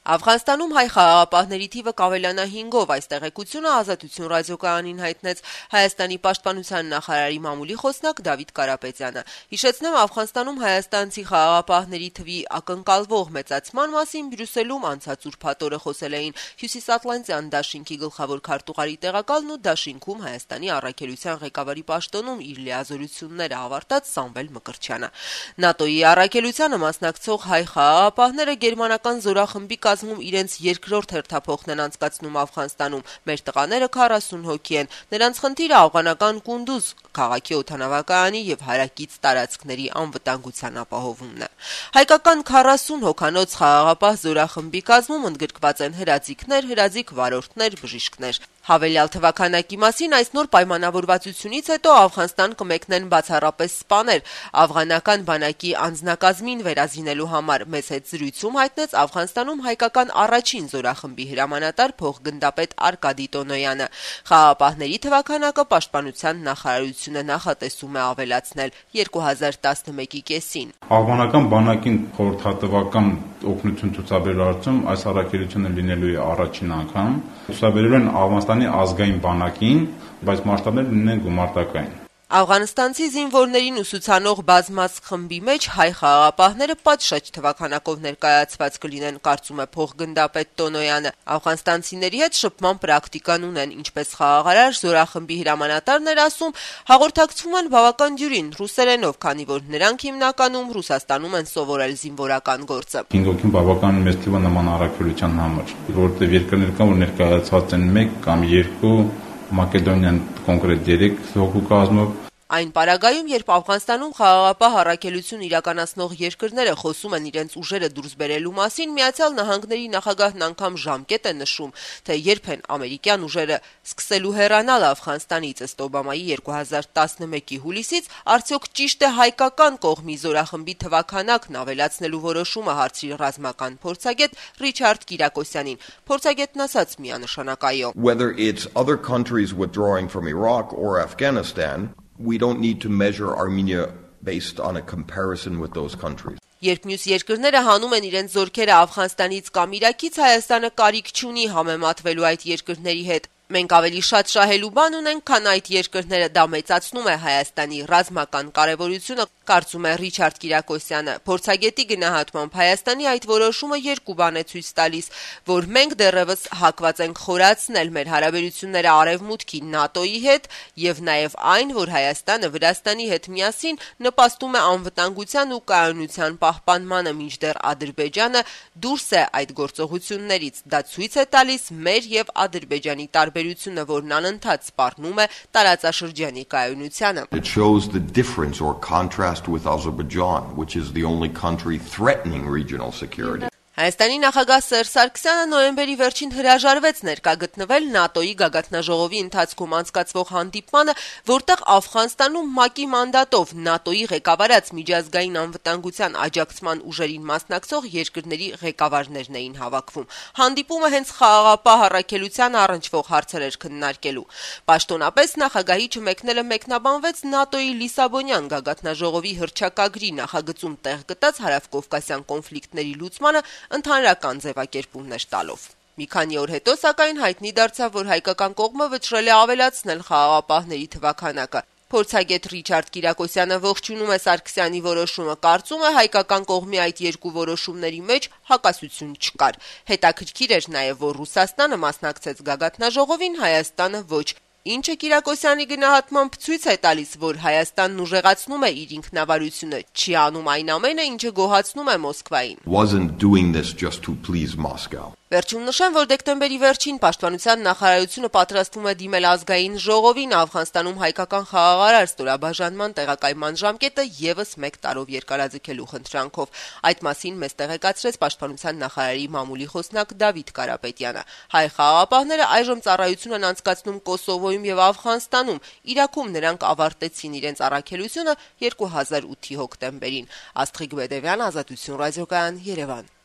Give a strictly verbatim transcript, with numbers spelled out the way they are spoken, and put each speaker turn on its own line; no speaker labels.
Աֆղանստանում հայ խաղաղապահների թիվը կավելանա հինգով, այս տեղեկությունը Ազատություն ռադիոկայանին հայտնեց Հայաստանի պաշտպանության նախարարի մամուլի խոսնակ Դավիթ Կարապետյանը։ Հիշեցնեմ, Աֆղանստանում հայաստանցի խաղաղապահների թվի ակնկալվող մեծացման մասին Բրյուսելում անցած ուրբաթ օրը խոսել էին Հյուսիսատլանտյան դաշինքի գլխավոր քարտուղարի տեղակալն ու դաշինքում Հայաստանի առաքելության ղեկավարի պաշտոնում իր լիազորությունները ավարտած Սամվել Մկրտչյանը։ ՆԱՏՕ-ի առաքելությանը մասնակցող հայ խաղաղապահները գերմանական զորախմբի կազմում իրենց երկրորդ հերթափոխն են անցկացնում Աֆղանստանում։ Մեր տղաները քառասուն հոգի են։ Նրանց խնդիրը աֆղանական Կունդուզ քաղաքի օդանավակայանի եւ հարակից տարածքների անվտանգության ապահովումն է։ Հայկական քառասուն հոգանոց խաղաղապահ զորախմբի կազմում ընդգրկված են հրաձիգներ, հրաձիգ վարորդներ, բժիշկներ։ Հավելյալ թվականակի մասին այս նոր պայմանավորվածությունից հետո Աֆղանստան կմեկնեն բացառապես սպաներ աֆղանական բանակի անձնակազմին վերազինելու համար։ Մեծ հետ զրույցում հայտնեց Աֆղանստանում հայկական առաջին զորախմբի հրամանատար փոխգնդապետ Արկադի Տոնոյանը։ Խաղաղապահների թվականակը պաշտպանության նախարարությունը նախատեսում է ավելացնել երկու հազար տասնմեկի կեսին։
Աֆղանական բանակին խորհրդատվական օգնություն ցուցաբերելու հարցում այս առաքելությունը լինելու է առաջին անգամ։ Ցուցաբերել են Աֆղանստանի ազգային բանակին, բայց մասշտաբները լինեն գումարտակային։
Աֆղանստանցի զինվորներին ուսուցանող բազմազգ խմբի մեջ հայ խաղաղապահները պատշաճ թվականակով ներկայացված կլինեն, կարծում է փոխգնդապետ Տոնոյանը։ Աֆղանստանցիների հետ շփման պրակտիկան ունեն, ինչպես խաղաղարար զորախմբի հրամանատարն էր ասում, հաղորդակցվում են բավական դյուրին ռուսերենով, քանի որ նրանք հիմնականում Ռուսաստանում են սովորել զինվորական գործը։
հինգ հոգին բավական մեծ թիվ է նման առաքելության համար, որովհետև երկրներ կան, որ ներկայացված են մեկ կամ երկու, Մակեդոնիան կոնկրետ երեք հոգու կազմով։
Այն պարագայում, երբ Աֆղանստանում խաղաղապահ առաքելություն իրականացնող երկրները խոսում են իրենց ուժերը դուրս բերելու մասին, Միացյալ Նահանգների նախագահն անգամ ժամկետ է նշում, թե երբ են ամերիկյան ուժերը սկսելու հեռանալ Աֆղանստանից ըստ Օբամայի երկու հազար տասնմեկի հուլիսից, արդյոք ճիշտ է հայկական կողմի զորախմբի թվաքանակն ավելացնելու որոշումը, հարցրի ռազմական փորձագետ Ռիչարդ Կիրակոսյանին։ Փորձագետն ասաց միանշանակայով.
Whether it's other countries withdrawing from Iraq or Afghanistan, we don't need to measure Armenia based on a comparison with those countries.
Երբ մյուս երկրները հանում են իրենց զորքերը Աֆղանստանից կամ Իրաքից, Հայաստանը կարիք չունի համեմատվելու այդ երկրների հետ։ Մենք ավելի շատ շահելու բան ունենք, քան այդ երկրները, դա մեծացնում է Հայաստանի ռազմական կարևորությունը, կարծում է Ռիչարդ Կիրակոսյանը։ Փորձագետի գնահատմամբ Հայաստանի այդ որոշումը երկու բան է ցույց տալիս, որ մենք դեռևս հակված ենք խորացնել մեր հարաբերությունները Արևմուտքի ՆԱՏՕ-ի հետ եւ նաեւ այն, որ Հայաստանը Վրաստանի հետ միասին նպաստում է անվտանգության ու կայունության պահպանմանը, մինչդեռ Ադրբեջանը դուրս է այդ գործողություններից։ Դա ցույց է տալիս մեր եւ Ադրբեջանի տարբերությունը, որն անընդհատ սպառնում է տարածաշրջանի կայունությանը։
It shows the difference or contrast with Azerbaijan, which is the only country threatening regional security.
Հայաստանի նախագահ Սերժ Սարգսյանը նոյեմբերի վերջին հրաժարվեց ներկա գտնվել ՆԱՏՕ-ի գագաթնաժողովի ընթացքում անցկացվող հանդիպմանը, որտեղ Աֆղանստանում ՄԱԿ-ի մանդատով ՆԱՏՕ-ի ղեկավարած միջազգային անվտանգության աջակցման ուժերին մասնակցող երկրների ղեկավարներն էին հավաքվում։ Հանդիպումը հենց խաղաղապահ առաքելության առնչվող հարցեր էր քննարկելու։ Պաշտոնապես նախագահի չմեկնելը մեկնաբանվեց ՆԱՏՕ-ի Լիսաբոնյան գագաթնաժողովի հռչակագրի նախագծում տեղ գտած հարավկովկասյան կոնֆլիկտների լուծմանը ընդհանրական ձևակերպումներ տալով։ Մի քանի օր հետո, սակայն, հայտնի դարձավ, որ հայկական կողմը վճռել է ավելացնել խաղաղապահների թվականակը։ Փորձագետ Ռիչարդ Կիրակոսյանը ողջունում է Սարգսյանի որոշումը, կարծում է հայկական կողմի այդ երկու որոշումների մեջ հակասություն չկար։ Հետաքրքիր էր նաև, որ Ռուսաստանը մասնակցեց գագաթնաժողովին, Հայաստանը ոչ։ Ինչը Կիրակոսյանի գնահատմամբ ցույց է տալիս, որ Հայաստանն ուժեղացնում է իր ինքնավարությունը, չի անում այն ամենը, ինչը գոհացնում է Մոսկվային։
Wasn't doing this just to please Moscow.
Վերջում նշեմ, որ դեկտեմբերի վերջին պաշտպանության նախարարությունը պատրաստվում է դիմել ազգային ժողովին Աֆղանստանում հայկական խաղաղարար ստորաբաժանման տեղակայման ժամկետը եւս մեկ տարով երկարաձգելու խնդրանքով։ Այդ մասին մեզ տեղեկացրեց պաշտպանության նախարարի մամուլի խոսնակ Դավիթ Կարապետյանը։ Հայ խաղաղապահները այժմ ծառայություն են անցկացնում Կոսովոյում եւ Աֆղանստանում։ Իրաքում նրանք ավարտեցին իրենց առաքելությունը երկու հազար ութի հոկտեմբերին։ Աստղիկ Բեդևյան, Ազատություն ռադիոկայան, Երևան։